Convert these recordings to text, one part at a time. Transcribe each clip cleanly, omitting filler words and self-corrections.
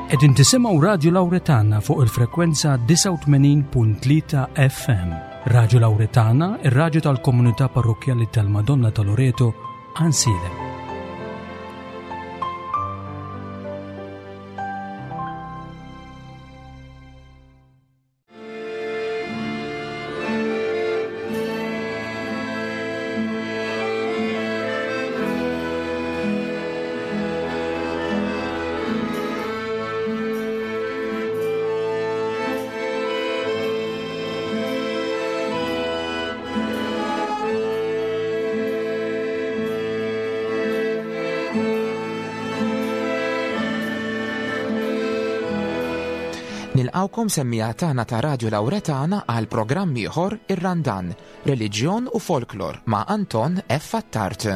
Qegħdin tisimgħu Radju Lawretana fuq il-frekwenza 89.3 FM. Radju Lawretana, ir-radju tal-komunità parrokkjali tal-Madonna ta' Loreto, Ansiedem. Nilqawkom semmija tagħna ta' Radio Lauretana għal programm ieħor Ir-Randan, Reliġjon u Folklor ma' Anton F. Attard.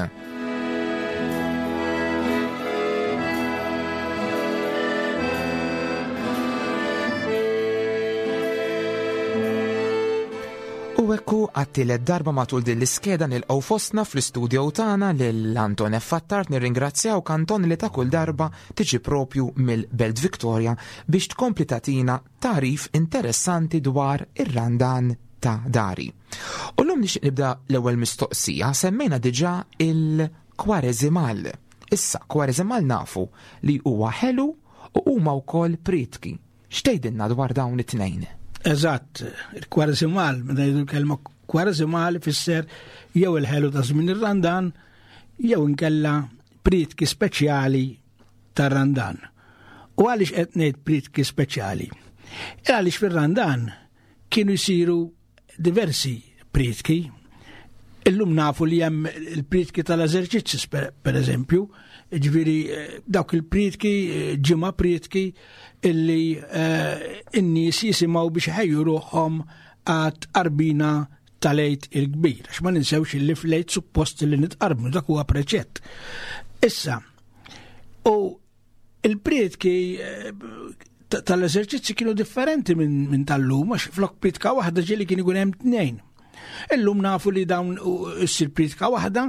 U ekku għat-tielet darba matul din l-iskeda nilqgħu fostna fl-istudio tagħna lil Anton F. Attard nirringrazzjawk Anton li ta' kull darba tiġi propju mill-Belt Victoria biex tkompli tagħtina tagħrif interessanti dwar ir-Randan ta' dari. U llum nixtieq nibda l-ewwel mistoqsija, semmejna diġà il-kwareżimal. Issa, kwareżimal nafu li huwa ħelu u huma wkoll prietki. X'tgħidilna dwar dawn it-tnejn? Eżatt, il-kwareżimal, meta jgħidu l-kelma kwareżimal ifisser jew il-ħelu ta' żmien ir-Randan jew inkella prietki speċjali tar-Randan. U għaliex qed ngħid prietki speċjali? E għaliex fir-Randan kienu jsiru diversi prietki. Illum nafu li hemm il-prietki tal-eżerċizzi per eżempju, ġifieri eh, dawk il-prietki, eh, ġimgħa prietki illi eh, n-nies jisimgħu biex ħejju ruħhom għat qarbina tal-Għid il-Kbir, għax ma ninsewx illi fl-Għid suppost li nitqarbnu, dak huwa preċett. Issa, u il-prietki eh, tal-eżerċizzi kienu differenti minn min tal-lum, għax flok prietka waħda ġieli kien ikun hemm tnejn. Illum nafu li dawn issir prietka waħda,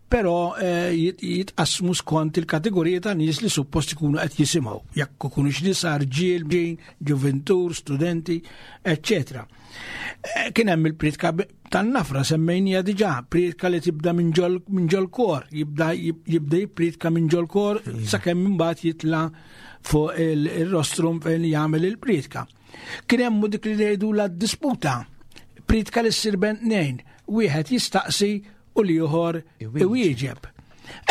però eh, jitqasmu skont il-kategorija ta' nies li suppost ikunu qed jisimgħu, jekk ikunu x'nisa, rġiel, ġuventur, studenti, eccetera. Eh, kien hemm il-pritka tan-nafra semmejnija diġà, pritka li tibda minn ġol kor, jibda jibda jippritka minn ġol kor iva. sakemm imbagħad jitla fuq il-rostrum fejn jagħmel il-pritka. Kien hemm dik li jgħidu la disputa, pritka li ssir bejn tnejn, wieħed jistaqsi u l-ieħor iwieġeb.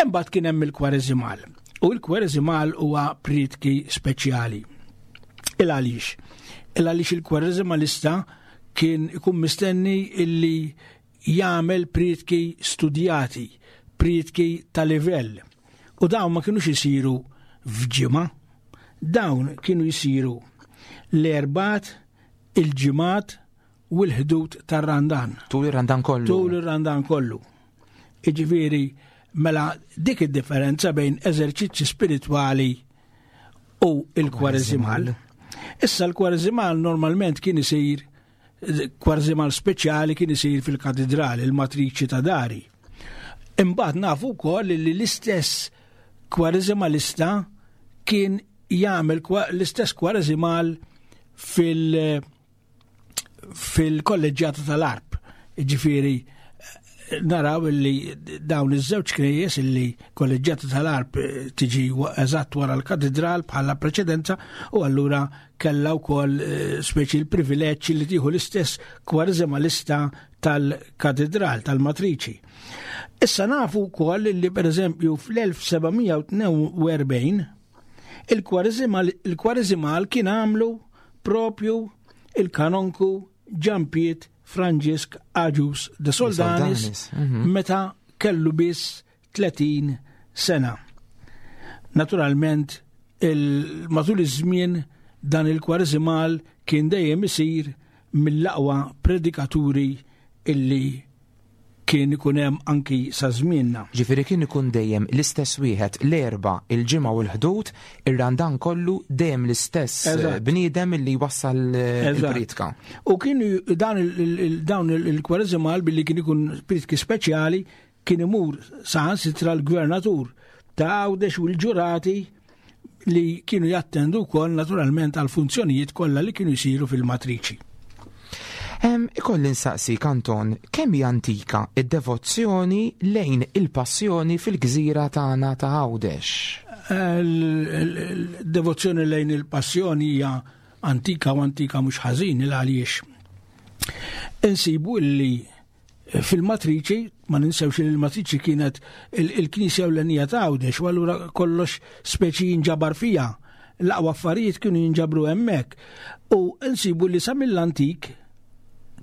Imbagħad kien hemm il-kwareżimal. U l-kwareżimal huwa prietki speċjali. Il għaliex? Il għaliex il-kwareżimalista kien ikun mistenni illi jagħmel prietki studjati, prietki ta' livell. U dawn ma kienux isiru f'ġimgħa, dawn kienu jisiru l-erbat, il-ġimgħat u l-ħdud tar-Randan. Tul ir-Randan kollu. Tul ir-Randan kollu. Iġifieri, mela dik id-differenza bejn eżerċizzji spiritwali u il-kwareżimal. Issa l-kwareżimal normalment kien isir kwarżimal speċjali kien isir fil-katidrali, il-matriċi ta' dari. Imbagħad nafu wkoll li l-istess kwareżimalista kien jagħmel l-istess kwareżimal fil- fil-kolleġġjata tal-Arp. Ġifieri naraw illi dawn iż-żewġ knejjes illi kolleġġjata tal-Arp eh, tiġi eżatt wara l-katedral bħala preċedenza u allura kellha wkoll eh, speċi l-privileġġ li tieħu l-istess kwarżemalista tal-katedral tal-matriċi. Issa nafu wkoll li pereżempju fl-1742 il-kwareżimal kien għamlu propju il-kanonku Ġampiet Franġisk Agius de Soldanis mhm. meta kellu biss 30 sena. Naturalment, matul iż-żmien dan il-kwareżimal kien dejjem isir mill-aqwa predikaturi illi kien ikun hemm anki sa żmienna. Ġifieri kien ikun dejjem l-istess wieħed l-Erbgħa, il-Ġimgħa u l-Ħdud, ir-Randan kollu dejjem l-istess bniedem li jwassal il-prietka. U kien dan dawn il-kwareżimal billi kien ikun prietki speċjali kien imur saħansitra l-gvernatur ta' Għawdex u l-ġurati. li kienu jattendu wkoll naturalment għal funzjonijiet kollha li kienu jsiru fil-matriċi. Ikolli nsaqsik Anton, kemm hi antika id-devozzjoni lejn il-passjoni fil-gżira tagħna ta' Għawdex? Il-devozzjoni lejn il-passjoni hija antika u antika mhux ħażin il għaliex insibu illi fil-matriċi, ma ninsewx li l-matriċi kienet il-knisja ewlenija ta' Għawdex, u allura kollox speċi jinġabar fija. L-aqwa affarijiet kienu jinġabru hemmhekk. U nsibu li sa mill-antik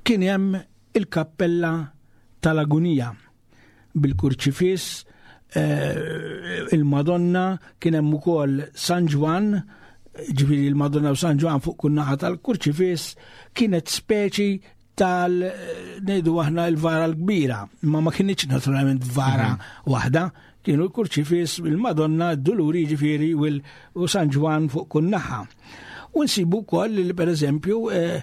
kien hemm il-kappella tal-Agunija bil-kurċifiss, eh, il-Madonna, kien hemm ukoll San Ġwann, ġifieri il-Madonna u San Ġwann fuq kull naħa tal-kurċifiss, kienet speċi tal ngħidu aħna l-vara l-kbira, imma ma kienx naturalment vara mhm. waħda, kienu l-kurċifis, il-Madonna, d-Duluri ġifieri u San Ġwan fuq kull naħa. U nsibu wkoll li pereżempju eh,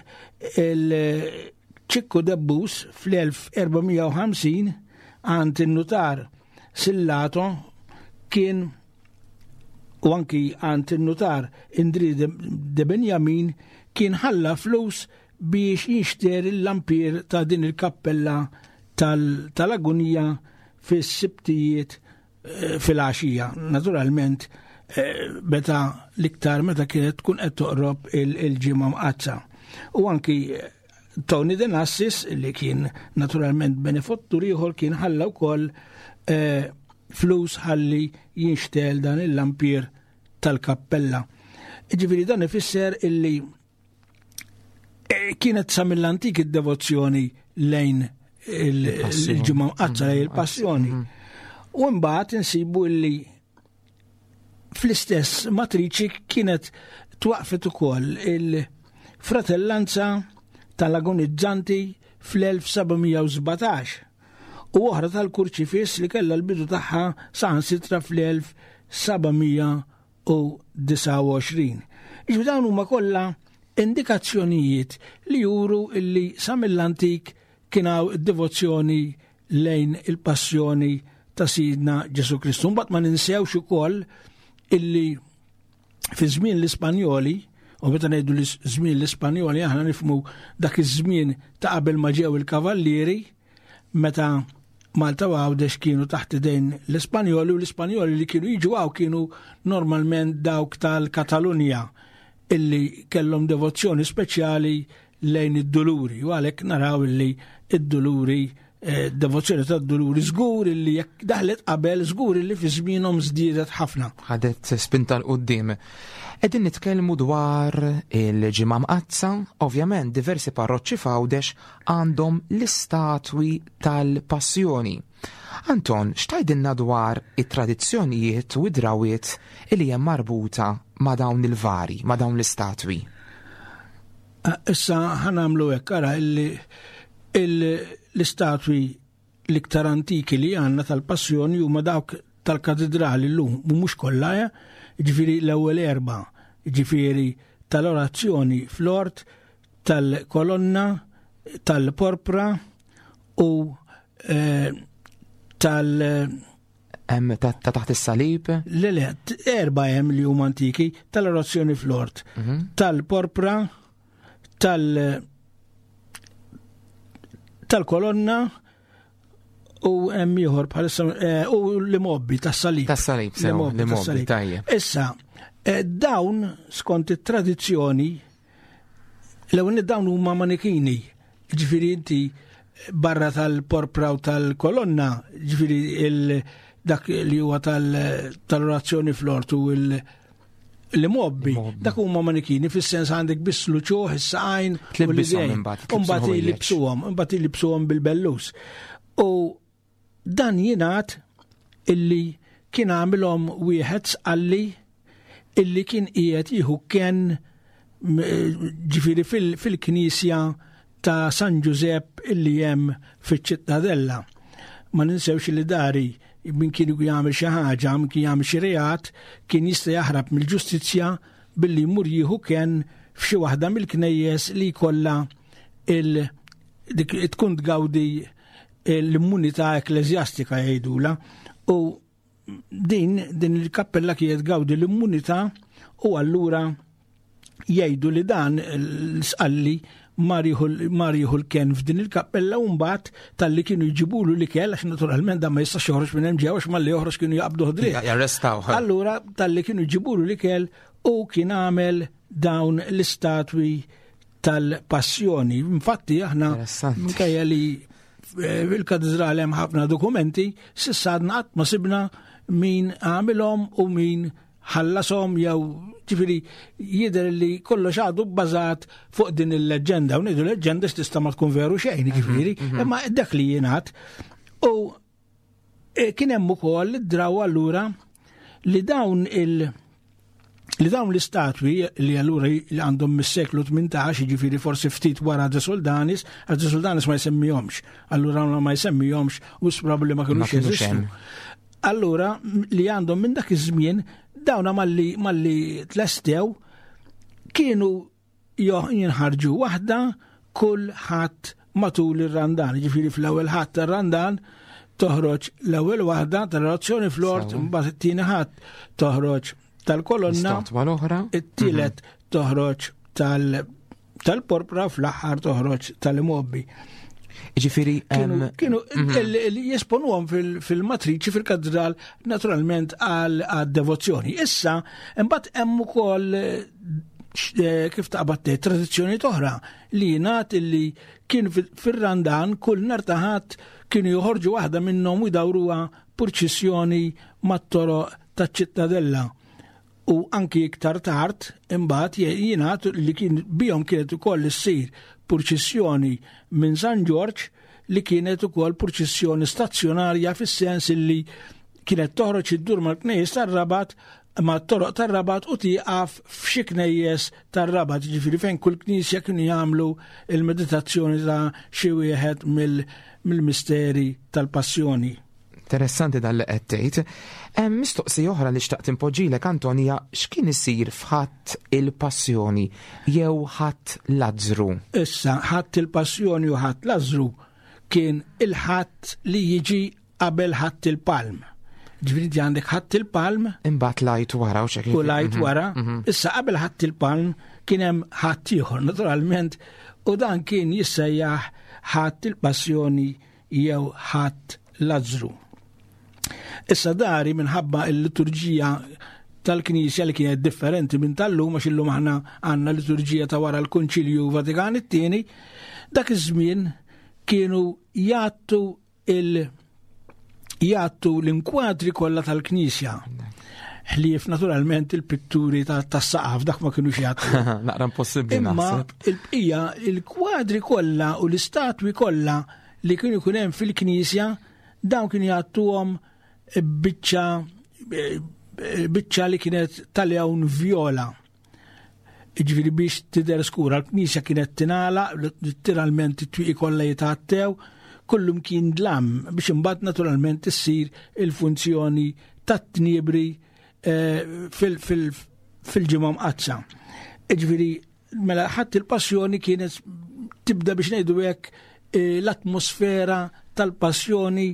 il-Ċikku Debbus fl-1450 għand in-nutar Sillato kien u anki għand in-nutar Indri de Benjamin kien ħalla flus biex jinxter il-lampier ta' din il-kappella tal-agunija fis-sibtijiet eh, fil-għaxija. Naturalment, eh, meta l-iktar meta kienet tkun qed toqrob il-ġimgħa mqazza. U anki eh, Tony Denassis li kien naturalment benefattur ieħor kien ħalla wkoll flus ħalli jinxtel dan il-lampier tal-kappella. Ġifieri dan ifisser illi Eh, kienet sa mill-antik id-devozzjoni lejn il-ġimgħa mqaddsa lejn il-passjoni. Mm. U mbagħad insibu li fl-istess matriċi kienet twaqfet ukoll il-fratellanza tal-agonizzanti fl-1717 u oħra tal-kurċifiss li kellha l-bidu tagħha saħansitra fl-1700 u 29. Iġbi dawn huma kollha indikazzjonijiet li juru illi sa mill-antik kien hawn devozzjoni lejn il-passjoni ta' Sidna Ġesu Kristu. Mbagħad ma ninsewx ukoll illi fi żmien l-Ispanjoli, u meta ngħidu li żmien l-Ispanjoli aħna nifmu dak iż-żmien ta' qabel ma ġew il-kavallieri, meta Malta u Għawdex kienu taħt idejn l-Ispanjoli u l-Ispanjoli li kienu jiġu għaw kienu normalment dawk tal-Katalunja illi kellhom devozzjoni speċjali lejn id-duluri u għalhekk naraw illi id-duluri eh, devozzjoni tad-duluri żgur illi jekk daħlet qabel żgur illi fi żmienhom żdiedet ħafna. Ħadet spinta l qudiem Qegħdin nitkellmu dwar il-Ġimgħa Mqaddsa, ovvjament diversi parroċċi f'Għawdex għandhom l-istatwi tal-passjoni. Anton, x'tgħidilna dwar it-tradizzjonijiet u d-drawiet li hemm marbuta ma' dawn il-vari, ma' dawn l-istatwi? Eh, issa ħanamlu hekk ara illi l-istatwi l-iktar antiki li għandna tal-passjoni huma dawk tal-katedrali llum, u mhux kollha, eh? ġifieri l-ewwel erba, ġifieri tal-orazzjoni fl-ort, tal-kolonna, tal-porpra u eh, tal- Hemm ta' taħt is-salib? Le le, erba' hemm li huma antiki, tal-orazzjoni fl-ort, mhm. tal-porpra, tal- tal-kolonna u hemm ieħor bħalissa eh, u l-imobbi tas-salib. Tas-salib, sew, l-imobbi tajjeb. Issa, eh, dawn skont it-tradizzjoni l-ewwel dawn huma manikini, ġifieri inti barra tal-porpra u tal-kolonna, ġifieri dak li huwa tal-orazzjoni fl-ortu il- li mobbi, dak huma manikini fis-sens għandek biss l-uċuħ, is-saqajn, u l-idejn. Imbagħad jilibsuhom, imbagħad jilibsuhom bil-bellus. U dan jingħad illi kien għamilhom wieħed sqalli illi kien qiegħed jieħu ken ġifieri fil-knisja ta' San Ġużepp illi hemm fiċ-Ċittadella. Ma ninsewx li dari min kien jagħmel xi ħaġa, min kien jagħmel xi reat, kien jista' jaħrab mill-ġustizzja billi jmur jieħu ken f'xi waħda mill-knejjes li jkollha il dik tkun tgawdi l-immunità ekklesjastika jgħidula u din din il-kappella kienet gawdi l-immunità. U allura jgħidu li dan l-Sqalli mar jieħu l-ken f'din il-kappella u mbagħad talli kienu jġibulu l-ikel għax naturalment dan ma jistax joħroġ minn hemm ġew għax malli joħroġ kienu jaqbduh dritt. Jarrestaw. Allura talli kienu jġibulu l-ikel u kien għamel dawn l-istatwi tal-passjoni. Infatti aħna minkejja li eh, fil-katedral hemm ħafna dokumenti, s'issa għadna qatt ma sibna min għamilhom u min ħallashom jew ġifieri jidher li kollox għadu bbażat fuq din il-leġġenda u ngħidu leġġenda x'tista' ma tkun veru xejn mhm, ġifieri, mhm. imma dak li jingħad. U e, kien hemm ukoll id-draw allura li dawn il- li dawn l-istatwi li allura li għandhom mis-seklu 18, ġifiri forsi ftit wara De Soldanis, għax De Soldanis ma jsemmihomx. Allura ma jsemmihomx u probabbli ma kinux jeżistu. Allura li għandhom minn dak iż-żmien dawna malli malli tlestew kienu jinħarġu waħda kull ħadd matul ir-Randan. Ġifieri fl-ewwel ħadd tar-Randan toħroġ l-ewwel waħda tal-orazzjoni fl-ort, mbagħad it-tieni ħadd toħroġ tal-kolonna, it-tielet mhm. toħroġ tal- tal-porpra fl-aħħar toħroġ tal-imobbi. Ġifiri, kienu mhm. jesponuhom fil-matriċi fil-katedral naturalment għal devozzjoni. Issa, imbagħad hemm ukoll eh, kif taqbad tgħid tradizzjoni oħra li jingħad illi kien fir-Randan kull nhar ta' Ħadd kienu joħorġu waħda minnhom u jdawruha purċissjoni mat-toroq taċ-ċittadella. U anki iktar tard, imbagħad jingħad li kien bihom kienet ukoll issir purċissjoni minn San Ġorġ li kienet ukoll purċissjoni stazzjonarja fis-sens li kienet toħroġ iddur mal-knejjes tar-Rabat ma' toroq tar-Rabat u tieqaf f'xi knejjes tar-Rabat, ġifieri fejn kull knisja kienu jagħmlu il-meditazzjoni ta' xi wieħed mill-misteri tal-passjoni. Interessanti dan li qed tgħid. Hemm mistoqsija oħra li xtaqt inpoġġilek Anton hija x'kien isir f'Ħadd il-Passjoni jew Ħadd Lazzru? Issa, Ħadd il-Passjoni u Ħadd Lazzru kien il-Ħadd li jiġi qabel Ħadd il-Palm. Ġifieri inti għandek Ħadd il-Palm. Imbagħad l-Għid wara u x'hekk. U l-Għid mhm, wara. Mhm. Issa qabel Ħadd il-Palm kien hemm Ħadd ieħor naturalment u dan kien jissejjaħ Ħadd il-Passjoni jew Ħadd Lazzru. Issa dari minħabba il-liturġija tal-Knisja li kienet differenti minn tal-lum għax illum aħna għandna liturġija ta' wara l-Konċilju Vatikan it-tieni, dak iż-żmien kienu jgħattu il jgħattu l-inkwadri kollha tal-Knisja. Ħlief naturalment il-pitturi tas-saqaf dak ma kienu jgħattu. Naqra impossibbli Imma il-bqija il-kwadri kollha u l-istatwi kollha li kienu jkun hemm fil-knisja dawn kienu jgħattuhom biċċa biċċa li kienet tal-lewn vjola. Ġifieri biex tidher skura, l-knisja kienet tingħalaq, letteralment it-twieqi kollha jitgħattew, kullum kien dlam biex imbagħad naturalment issir il-funzjoni tat-tniebri eh, fil-ġimgħa mqaddsa. Ġifieri mela ħadd il-passjoni kienet tibda biex ngħidu hekk eh, l-atmosfera tal-passjoni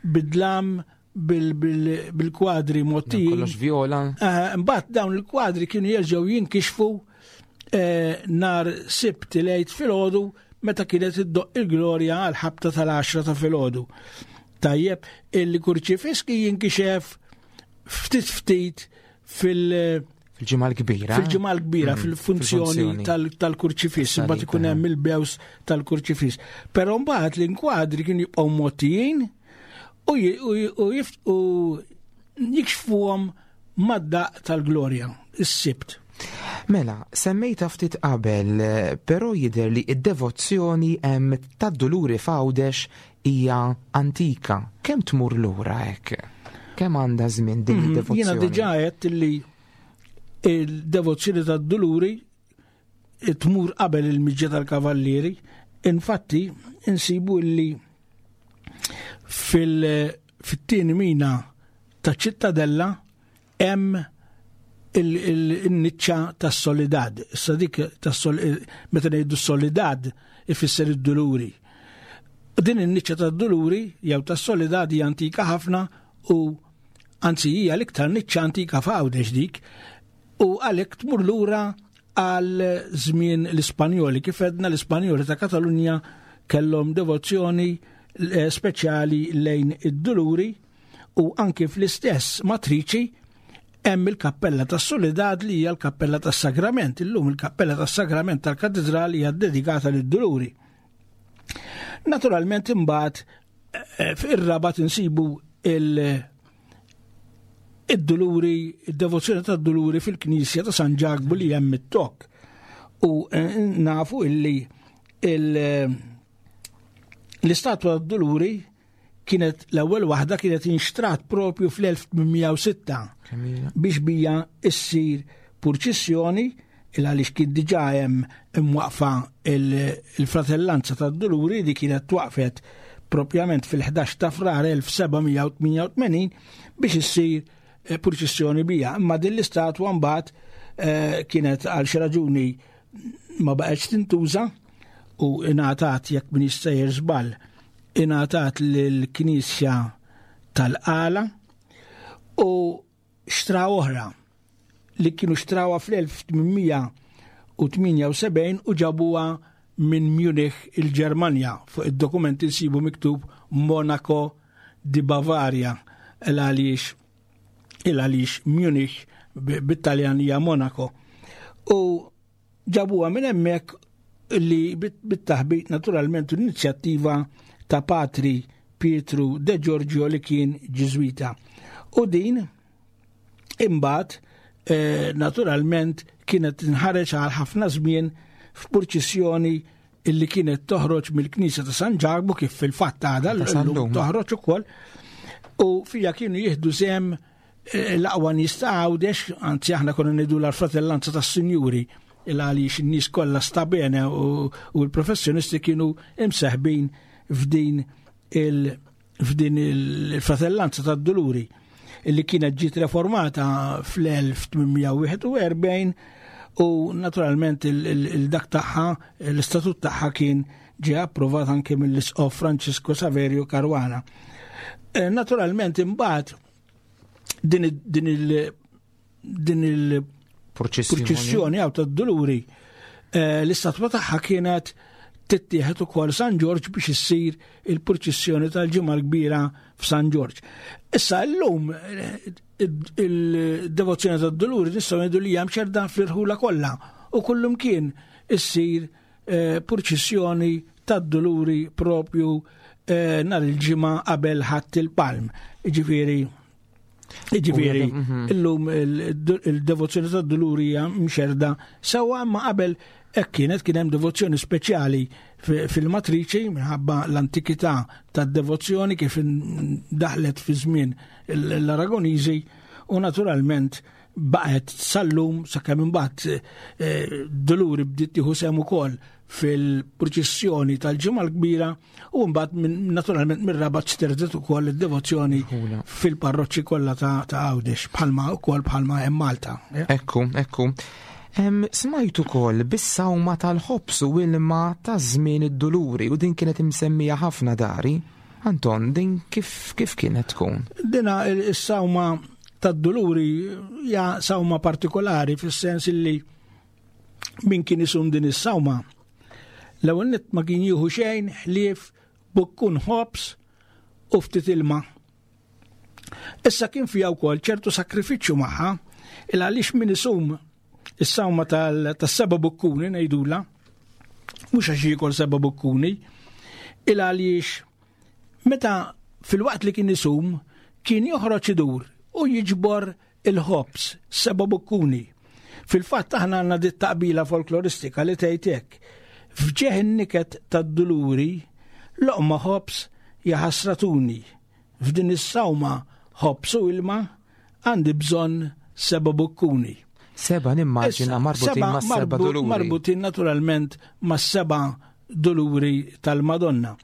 bidlam bil-kwadri motti. Kollox viola. Eh, mbagħad dawn il-kwadri kienu jerġgħu jinkixfu eh, nar sibt lejt filgħodu meta kienet iddoq il-glorja għal ħabta tal-10 ta' filgħodu. Tajjeb, il-kurċifiski jinkixef ftit ftit fil- Fil-ġimgħa l-kbira. Fil-ġimgħa l-kbira, mm, fil-funzjoni tal-kurċifiss, imbagħad ikun hemm il-bews tal-kurċifiss. Però mbagħad l-inkwadri kienu jibqgħu mottijin u jikxfuhom mad-daq tal-glorja, is-sibt. Mela, semmejta ftit qabel, però jidher li id-devozzjoni hemm tad-duluri f'Għawdex hija antika. Kemm tmur lura hekk? Kemm għandha żmien din mhm, id-devozzjoni? Jiena diġà għedt li il-devozzjoni tad-duluri tmur qabel il-miġja tal-kavallieri. Infatti, insibu li fil-tieni mina ta' ċittadella hemm il-niċċa tas-solidad. Issa dik meta ngħidu solidad ifisser id-duluri. Din in-niċċa tad-duluri jew tas-solidad hija antika ħafna u anzi hija l-iktar niċċa antika f'Għawdex dik. U għalhekk tmur lura għal żmien l-Ispanjoli. Kif għedna l-Ispanjoli ta' Katalunja kellhom devozzjoni eh, speċjali lejn id-Duluri u anki fl-istess matriċi hemm il-Kappella tas-Soledad li hija l-Kappella tas-Sagrament. Illum il-Kappella tas-Sagrament tal-Katedral hija dedikata lid-Duluri. Naturalment imbagħad eh, fir-Rabat insibu il- id-duluri, id-devozzjoni tad-duluri fil-Knisja ta' San Ġakbu li hemm it-tok. U eh, nafu illi eh, l-istatwa tad-duluri kienet l-ewwel waħda kienet inxtrat propju fl-1806 biex bija issir purċissjoni il għaliex kien diġà hemm imwaqfa il-fratellanza tad-duluri li kienet twaqfet propjament fil-11 ta' Frar 1788 biex issir eh, purċissjoni bija. Imma din l-istatwa mbagħad eh, kienet għal xi raġuni ma baqgħetx tintuża u ingħatat jekk min jistejjer żball ingħatat lill-Knisja tal-Qala u xtra oħra li kienu xtrawha fl-1878 u ġabuha minn Munich il-Ġermanja. Fuq id-dokumenti nsibu miktub Monaco di Bavaria il għaliex il għaliex Munich bit-Taljan hija Monaco. U ġabuha minn hemmhekk li bit-taħbit naturalment l-inizjattiva ta' Patri Pietru De Giorgio li kien Ġiżwita. U din imbagħad eh, naturalment kienet tinħareġ għal ħafna żmien f'purċissjoni illi kienet toħroġ mill-Knisja ta' San Ġakbu kif fil-fatt għadha l-lum toħroġ ukoll u fija kienu jieħdu sehem eh, l-aqwa nies ta' Għawdex, anzi aħna konna ngħidu l-fratellanza tas-sinjuri il għaliex in-nies kollha stabene u l-professjonisti kienu imseħbin f'din il- f'din il-fratellanza tad-Duluri illi kienet ġiet reformata fl-1841 u naturalment il-dak tagħha, l-istatut tagħha kien ġie approvat anke mill-Isqof Francisco Saverio Caruana. Eh, naturalment imbagħad din il din il-purċissjoni għaw tad-duluri eh, l-istatwa tagħha kienet tittieħed ukoll San Ġorġ biex issir il-purċissjoni tal-ġimgħa l-kbira f'San Ġorġ. Issa llum eh, il-devozzjoni tad-duluri nistgħu ngħidu li hemm ċerda fl-irħula kollha u kullum kien issir eh, purċissjoni tad-duluri propju nhar il-ġimgħa qabel ħadd il-palm. Ġifieri Ġifieri, mhm. illum il-devozzjoni tad-duluri hija mxerda sewwa imma qabel hekk kienet kien hemm devozzjoni speċjali fil-matriċi minħabba l-antikità tad-devozzjoni kif daħlet fi żmien l-Aragoniżi u naturalment baqgħet sal-lum sakemm imbagħad eh, duluri bdiet tieħu sehem ukoll fil-purċissjoni tal-ġimgħa l-kbira U mbagħad naturalment mir-Rabat xterdet ukoll id-devozzjoni fil-parroċċi kollha ta' Għawdex bħalma ukoll bħalma hemm Malta. Ekku, ekku. Smajt ukoll bis-sawma tal-ħobs u ilma ta' żmien id-duluri u din kienet imsemmija ħafna dari. Anton, din kif, kif kienet tkun? Dina is-sawma tad-duluri hija sawma partikolari fis-sens illi min kien isum din is-sawma L-ewwel nett ma kien jieħu xejn ħlief bukkun ħobż u ftit ilma. Issa kien fiha wkoll ċertu sakrifiċċju magħha il għaliex min isum is-sawma tas-seba' bukkuni ngħidula, mhux għax jiekol seba' bukkuni, il għaliex meta fil-waqt li kien isum kien joħroġ idur u jiġbor il-ħobż, seba' bukkuni. Fil-fatt aħna għandna dit taqbila folkloristika li tgħid hekk. F'ġeħ in-niket tad-duluri, loqma ħobż jaħasratuni. F'din is-sawma ħobż u ilma għandi bżonn seba' bukkuni. Seba' nimmaġina marbutin ma' seba' duluri. Marbutin naturalment ma' seba' duluri tal-Madonna.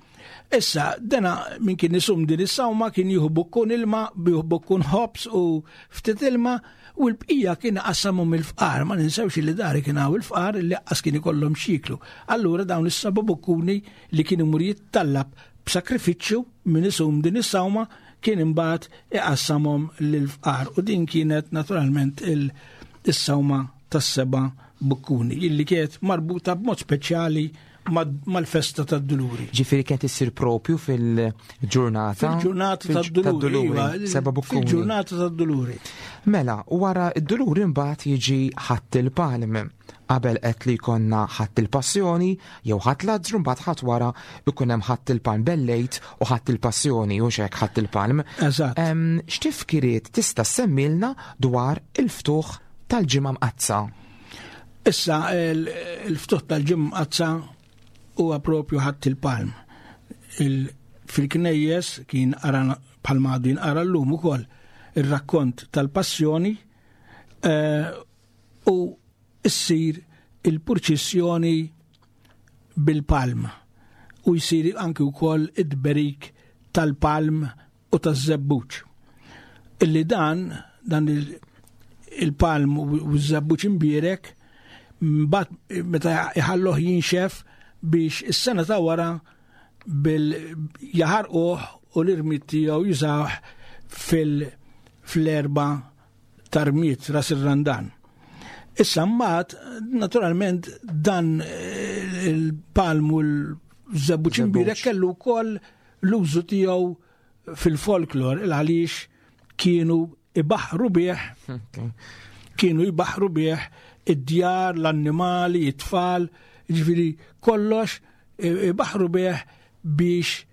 Issa, dena min kien isum din is-sawma kien jieħu bukkun ilma, jieħu bukkun ħobs u ftit ilma u l-bqija kien qassamu mill-fqar, ma ninsewx li dari kien hawn il-fqar li qas kien ikollhom xiklu. Allura dawn is-seba' bukkuni li kien imur jittallab b'sakrifiċċju min isum din is-sawma kien imbagħad iqassamhom lill-fqar u din kienet naturalment il- is-sawma tas-seba' bukkuni, illi kienet marbuta b'mod speċjali mal-festa tad-Duluri. Ġifieri kienet issir propju fil-ġurnata. Fil-ġurnata tad-Duluri. Iva, seba' bukkuni. Fil-ġurnata tad-Duluri. Mela, wara d-Duluri mbagħad jiġi Ħadd il-Palm. Qabel qed li jkollna Ħadd il-Passjoni jew Ħadd Lazzru mbagħad ħadd wara jkun hemm Ħadd il-Palm bellejt u Ħadd il-Passjoni u xek Ħadd il-Palm. Eżatt. X'tifkiriet tista' semmilna dwar il-ftuħ tal-Ġimgħa Mqaddsa? Issa il-ftuħ tal-Ġimgħa Mqaddsa huwa propju Ħadd il-Palm. Fil-knejjes kien qara bħalma għadu jinqara llum ukoll ir-rakkont tal-Passjoni eh, u ssir il-purċissjoni bil-palm u jsir anki wkoll id-berik tal-palm u taż-żebbuġ. Illi dan, dan il-palm u ż-żebbuġ imbierek, mbagħad meta iħalluh jinxef biex is-sena ta' wara bil jaħarquh u l-irmied tiegħu jużawh fil-erba tarmiet ras ir-Randan. Issa mbagħad naturalment dan eh, il-palm u l-żebbuġ imbierek kellu wkoll l-użu tiegħu fil-folklor il għaliex kienu ibaħru bih kienu jbaħru bih id-djar, l-annimali, it-tfal, ġifieri kollox ibaħru bih biex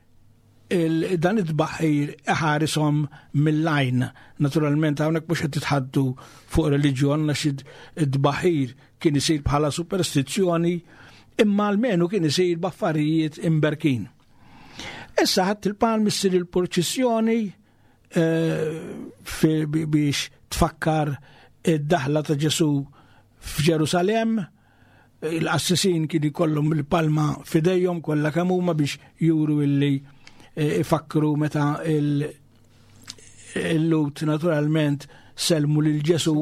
dan it-tbaħħir iħarisom mill-għajn. Naturalment hawnhekk mhux qed titħaddu fuq reliġjon għax it-tbaħħir kien isir bħala superstizzjoni imma almenu kien isir b'affarijiet imberkin. Issa ħadd il-palm issir il-purċissjoni eh, biex tfakkar id-daħla ta' Ġesu f'Ġerusalemm il-qassisin kien ikollhom il-palma f'idejhom kollha kemm huma biex juru illi eh, ifakru meta il-lut naturalment selmu lil Ġesu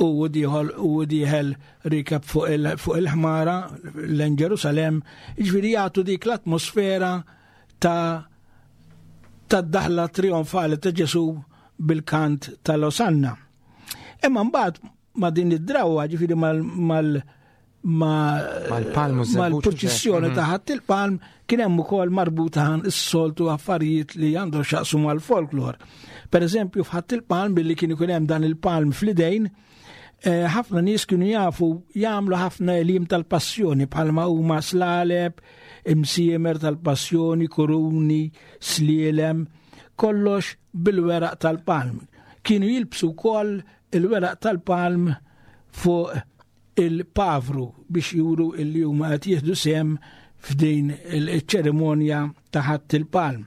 u diħol u diħel rikab fuq il-ħmara l Ġerusalem, ġifieri jagħtu dik l-atmosfera ta' tad-daħla trionfali ta' Ġesu bil-kant tal-Osanna. Imma mbagħad ma' din id-drawa, ġifieri mal mal mal-purċissjoni ta' ħadd il-palm kien hemm ukoll marbuta is-soltu affarijiet li għandhom xaqsu mal-folklor. Per eżempju, f'ħadd il-palm billi kien ikun hemm dan il-palm fl-idejn, eh, ħafna nies kienu jafu jagħmlu ħafna elim tal-passjoni bħalma huma slaleb, imsiemer tal-passjoni, kuruni, slielem, kollox bil-weraq tal-palm. Kienu jilbsu wkoll il-weraq tal-palm fuq il-pavru biex juru illi huma qed jieħdu sehem f'din il-ċerimonja ta' ħadd il-palm.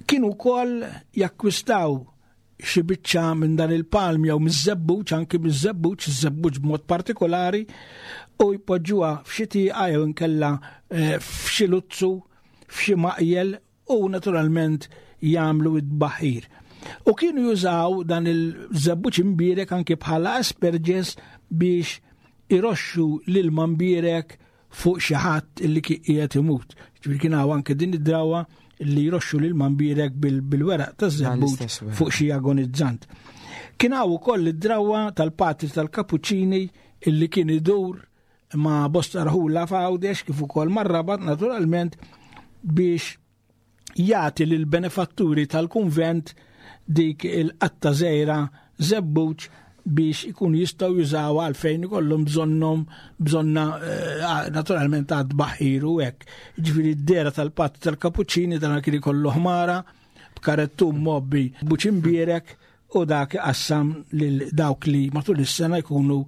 Kienu wkoll jakkwistaw xi biċċa minn dan il-palm jew miż-żebbuġ, anki miż-żebbuġ, iż-żebbuġ b'mod partikolari, u jpoġġuha f'xi tieqa jew inkella eh, f'xi luzzu, f'xi maqjel u naturalment jagħmlu id-baħir. U kienu jużaw dan il-żebbuġ imbierek anki bħala asperges biex iroxxu l-ilma mbierek fuq xi ħadd illi qiegħed imut. Ġifieri kien hawn anke din id-drawa li jroxxu l-ilma mbierek bil-weraq taż-żebbuġ fuq xi agonizzant. Kien hawn ukoll id-drawa tal-patri tal-Kapuċċini illi kien idur ma' bosta rħula f'Għawdex kif ukoll mar-Rabat naturalment biex jagħti lil benefatturi tal-kunvent dik il-qatta żgħira żebbuġ biex ikun jistgħu jużaw għalfejn ikollhom bżonnhom bżonna eh, naturalment għad baħir u hekk. Ġifieri d-dera tal-patt tal-kapuċċini dan kien ikollu ħmara b'karettun mobbi buċimbierek u dak iqassam lil dawk li matul is-sena jkunu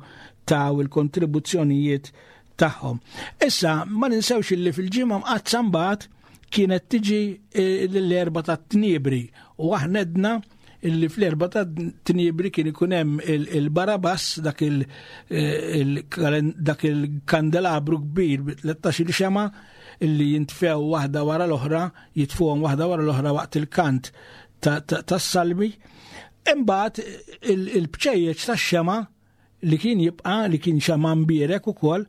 taw il-kontribuzzjonijiet tagħhom. Issa ma ninsewx li fil-ġimgħa mqaddsa mbagħad kienet tiġi eh, l-erba ta' tniebri u aħna edna illi fl-erba ta' tniebri kien ikun hemm il-barabas dak eh, il-kandelabru kbir bi 13 xema illi jintfew waħda wara l-oħra, jitfuhom waħda wara l-oħra waqt il-kant tas-salmi. Imbagħad il-bċejjeċ tax-xema li kien jibqa' li kien xema mbierek ukoll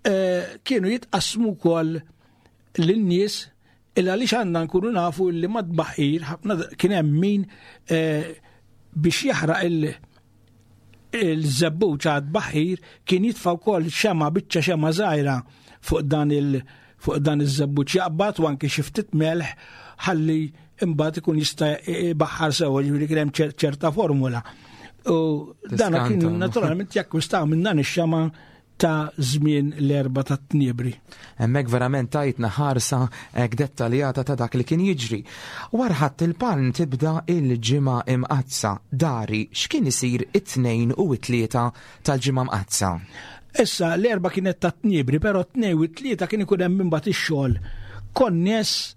eh, kienu jitqassmu wkoll lin-nies il għaliex għandna nkunu nafu li mad-baħir ħafna kien hemm min eh, biex jaħraq il- il-żebbuġ għad baħir kien jitfa' wkoll xema biċċa xema żgħira fuq dan il fuq dan iż-żebbuġ jaqbad u anki xi ftit melħ ħalli imbagħad ikun jista' ibaħħar sewwa ġifieri kien hemm ċerta formula. U dan kien naturalment jakkwistaw minn dan ix-xema ta' żmien l-Erbgħa tat-Tniebri. Hemmhekk verament tajtna ħarsa hekk dettaljata ta' dak li kien jiġri. Wara Ħadd il-Palm tibda il-Ġimgħa Imqaddsa. Dari, x'kien isir it-Tnejn u t-Tlieta tal-Ġimgħa Mqaddsa? Issa l-Erbgħa kienet tat-Tniebri, però t-Tnejn u t-Tlieta kien ikun hemm imbagħad ix-xogħol konness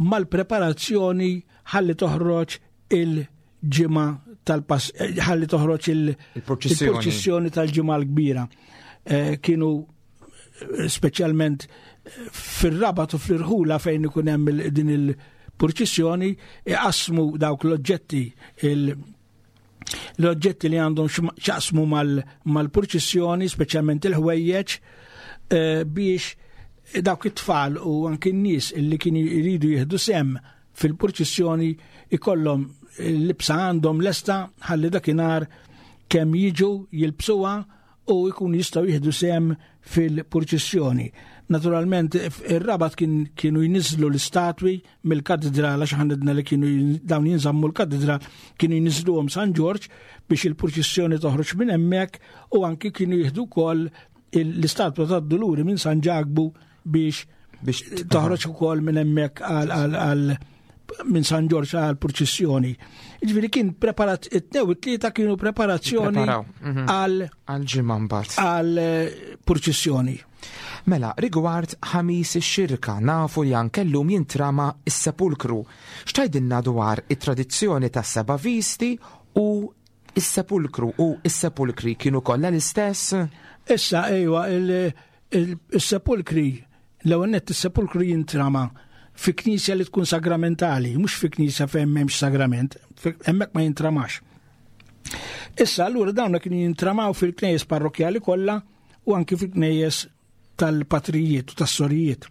mal-preparazzjoni ħalli toħroġ il- ġimgħa tal-pass eh, ħalli toħroġ il-purċissjoni tal-ġimgħa l-kbira. Eh, kienu eh, speċjalment fir-rabat u fl-irħula fejn ikun hemm din il-purċissjoni iqasmu dawk l-oġġetti l-oġġetti li għandhom xaqsmu mal-purċissjoni, speċjalment il-ħwejjeġ, biex dawk it-tfal u anki n-nies li kienu jridu jieħdu sem fil-purċissjoni ikollhom l-libsa għandhom lesta ħalli dakinhar kemm jiġu jilbsuha u jkunu jistgħu jieħdu sehem fil-purċissjoni. Naturalment, ir-rabat kien, kienu jniżlu l-istatwi mill-katedral għax ħanedna li kienu dawn jinżammu l-katedral kienu jniżluhom San Ġorġ biex il-purċissjoni toħroġ minn hemmhekk u anki kienu jieħdu wkoll l-istatwa tad-Duluri minn San Ġakbu biex biex toħroġ ukoll minn hemmhekk għal minn San Ġorġ għal purċissjoni. Ġifieri kien preparat it-tnew it-tlieta kienu preparazzjoni mhm. għal għal ġimgħa mbagħad. Għal eh, purċissjoni. Mela, rigward ħamis ix-xirka nafu li anke llum jintrama s-sepulkru. X'tajdilna dwar it-tradizzjoni tas-seba' visti u is-sepulkru u s-sepulkri kienu kollha l-istess? Issa ejwa il-sepulkri, l-ewwel nett is-sepulkru jintrama fi knisja li tkun sagramentali, mhux fi knisja fejn m'hemmx sagrament, hemmhekk ma jintramax. Issa allura dawn kienu jintramaw fil-knejjes parrokjali kollha u anki fil-knejjes tal-patrijiet u tas-sorijiet.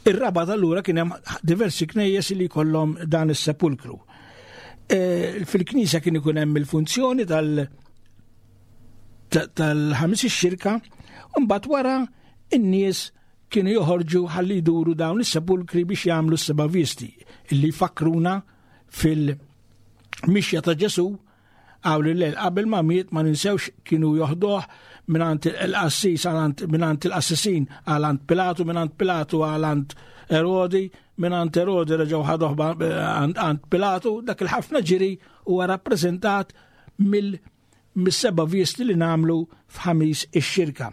Ir-Rabat allura kien hemm diversi knejjes li jkollhom dan is-sepulkru. E, fil-knisja kien ikun hemm il-funzjoni tal- tal-ħamis ix-xirka, u mbagħad wara in-nies kienu joħorġu ħalli jduru dawn is-sepulkri biex jagħmlu s-seba' visti illi jfakkruna fil-mixja ta' Ġesu Hawn il-lejl qabel ma miet ma ninsewx kienu joħduh mingħand il-qassis mingħand il-qassisin għal għand Pilatu, mingħand Pilatu għal għand Erodi, mingħand Erodi reġgħu ħaduh għand Pilatu, dak il-ħafna ġiri huwa rappreżentat mill mis-seba' visti li nagħmlu f'ħamis ix-xirka.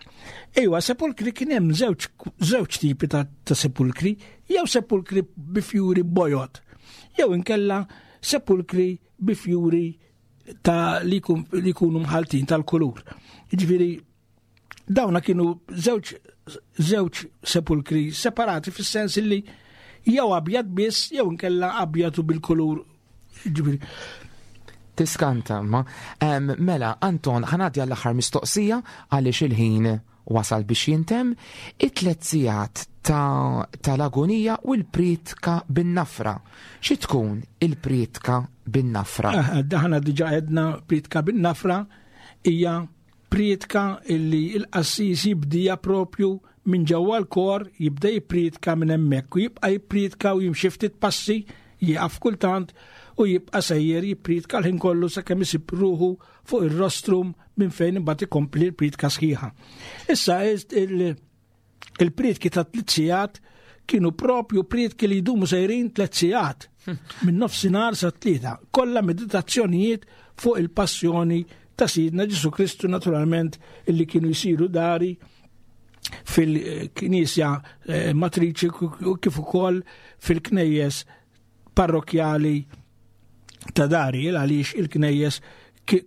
Ejwa, sepulkri kien hemm żewġ tipi ta', ta sepulkri, jew sepulkri bi fjuri bojot, jew inkella sepulkri bi fjuri ta' li jkunu mħaltin tal-kulur. Ġifieri dawna kienu żewġ żewġ sepulkri separati fis-sens li jew abjad biss jew inkella abjad u bil-kulur ġifieri. Tiskanta, ma. Mela, Anton, ħanadja l-aħħar mistoqsija għaliex il-ħin Wasal biex jintemm it-tliet sigħat ta' tal-agonija u l-prietka bin-nafra. Xi tkun il-prietka bin-nafra? Ah, daħna diġa għedna prietka bin-nafra hija prietka illi l-qassis jibdija propju minn ġewwa l-kor jibda jipprietka minn hemmhekk u jibqa' jipprietka u jimxi ftit passi jieqaf kultant u jibqa' sejjer jipprietka l-ħin kollu sakemm isib ruħu fuq ir-rostrum minn fejn imbagħad ikompli l-priedka sħiħa. Issa il-priedki ta' tliet sigħat kienu propju priedki li jdumu sejrin tliet sigħat minn nofsinhar sa tlieta, kollha meditazzjonijiet fuq il-passjoni ta' Sidna Ġesu Kristu naturalment illi kienu jsiru dari fil-knisja eh, matriċi kif ukoll fil-knejjes parrokjali ta' dari għaliex il-knejjes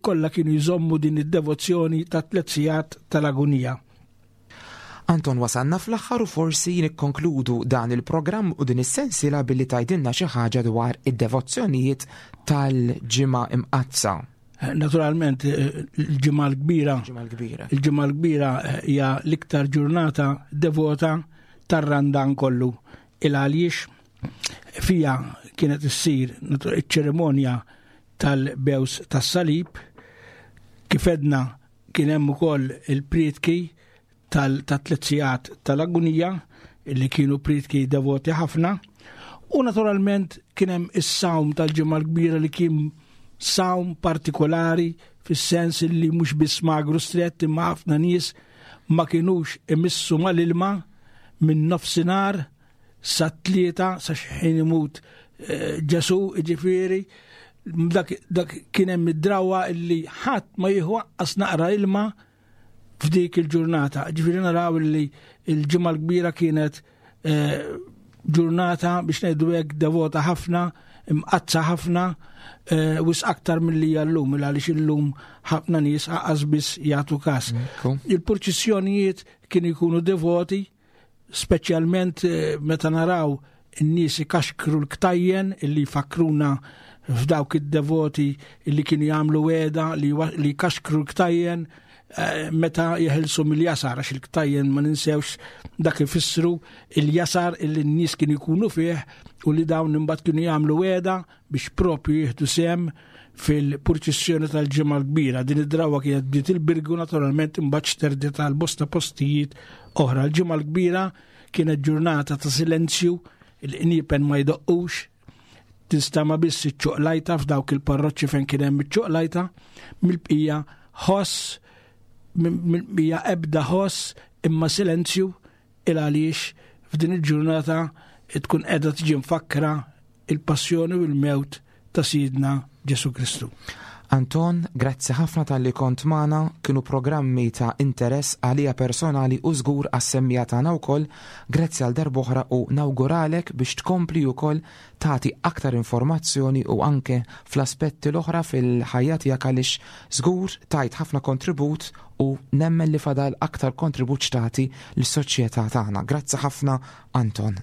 kollha kienu jżommu din id-devozzjoni ta' tliet sigħat tal-agunija. Anton wasalna fl-aħħar u forsi nikkonkludu dan il-programm u din is-sensiela billi tgħidilna xi ħaġa dwar id-devozzjonijiet tal-Ġimgħa Imqaddsa. Naturalment il-Ġimgħa l-Kbira. Il-Ġimgħa l-Kbira hija l-iktar ġurnata devota tar-Randan kollu. Il għaliex Fija kienet issir iċ-ċerimonja tal-bews tas-salib. Kif edna kien hemm ukoll il-prietki tal-tliet sigħat tal-agunija li kienu prietki devoti ħafna u naturalment kien hemm is-sawm tal-ġimgħa l-kbira li kien sawm partikolari fis-sens li mhux biss magru strett imma ħafna nies ma kinux imissu mal-ilma minn nofsinhar sa tlieta sa xħin imut eh, Ġesu ġifieri dak, dak kien hemm id-drawa illi ħadd ma jieħu aqqas naqra ilma f'dik il-ġurnata. Ġifieri naraw li l-ġimgħa l-kbira kienet eh, ġurnata biex ngħidu hekk devota ħafna, imqazza ħafna, eh, wis aktar milli llum, għaliex illum ħafna nies aqas biss jagħtu każ. Il-purċissjonijiet kienu jkunu devoti, speċjalment eh, meta naraw in-nies ikaxkru l-ktajjen illi jfakkruna f'dawk id-devoti illi kienu jagħmlu weda li jkaxkru l-ktajjen eh, meta jeħilsu mill-jasar għax il-ktajjen ma ninsewx dak ifissru il-jasar illi n-nies kienu jkunu fih u li dawn imbagħad kienu jagħmlu weda biex propju jieħdu sehem fil-purċissjoni tal-ġimgħa l-kbira. Din id-drawa kienet bdiet il-Birgu naturalment imbagħad xterdet għal bosta postijiet oħra. L-ġimgħa l-kbira kienet ġurnata ta' silenzju, il-qniepen ma jdoqqux, tinstama biss iċ-ċuqlajta f'dawk il-parroċċi fejn kien hemm iċ-ċuqlajta, mill-bqija ħoss, mill-bqija ebda ħoss imma silenzju il għaliex f'din il-ġurnata tkun qiegħda tiġi mfakkra il-passjoni u l-mewt ta' Sidna Ġesu Kristu. Anton, grazzi ħafna talli kont magħna, kienu programmi ta' interess għalija personali u żgur għas-semmiegħa tagħna wkoll. Grazzi għal darb'oħra u nawguralek biex tkompli wkoll tagħti aktar informazzjoni u anke fl-aspetti l-oħra fil-ħajja tiegħek għaliex żgur tajt ħafna kontribut u nemmen li fadal aktar kontribut x'tagħti lis-soċjetà tagħna. Grazzi ħafna Anton.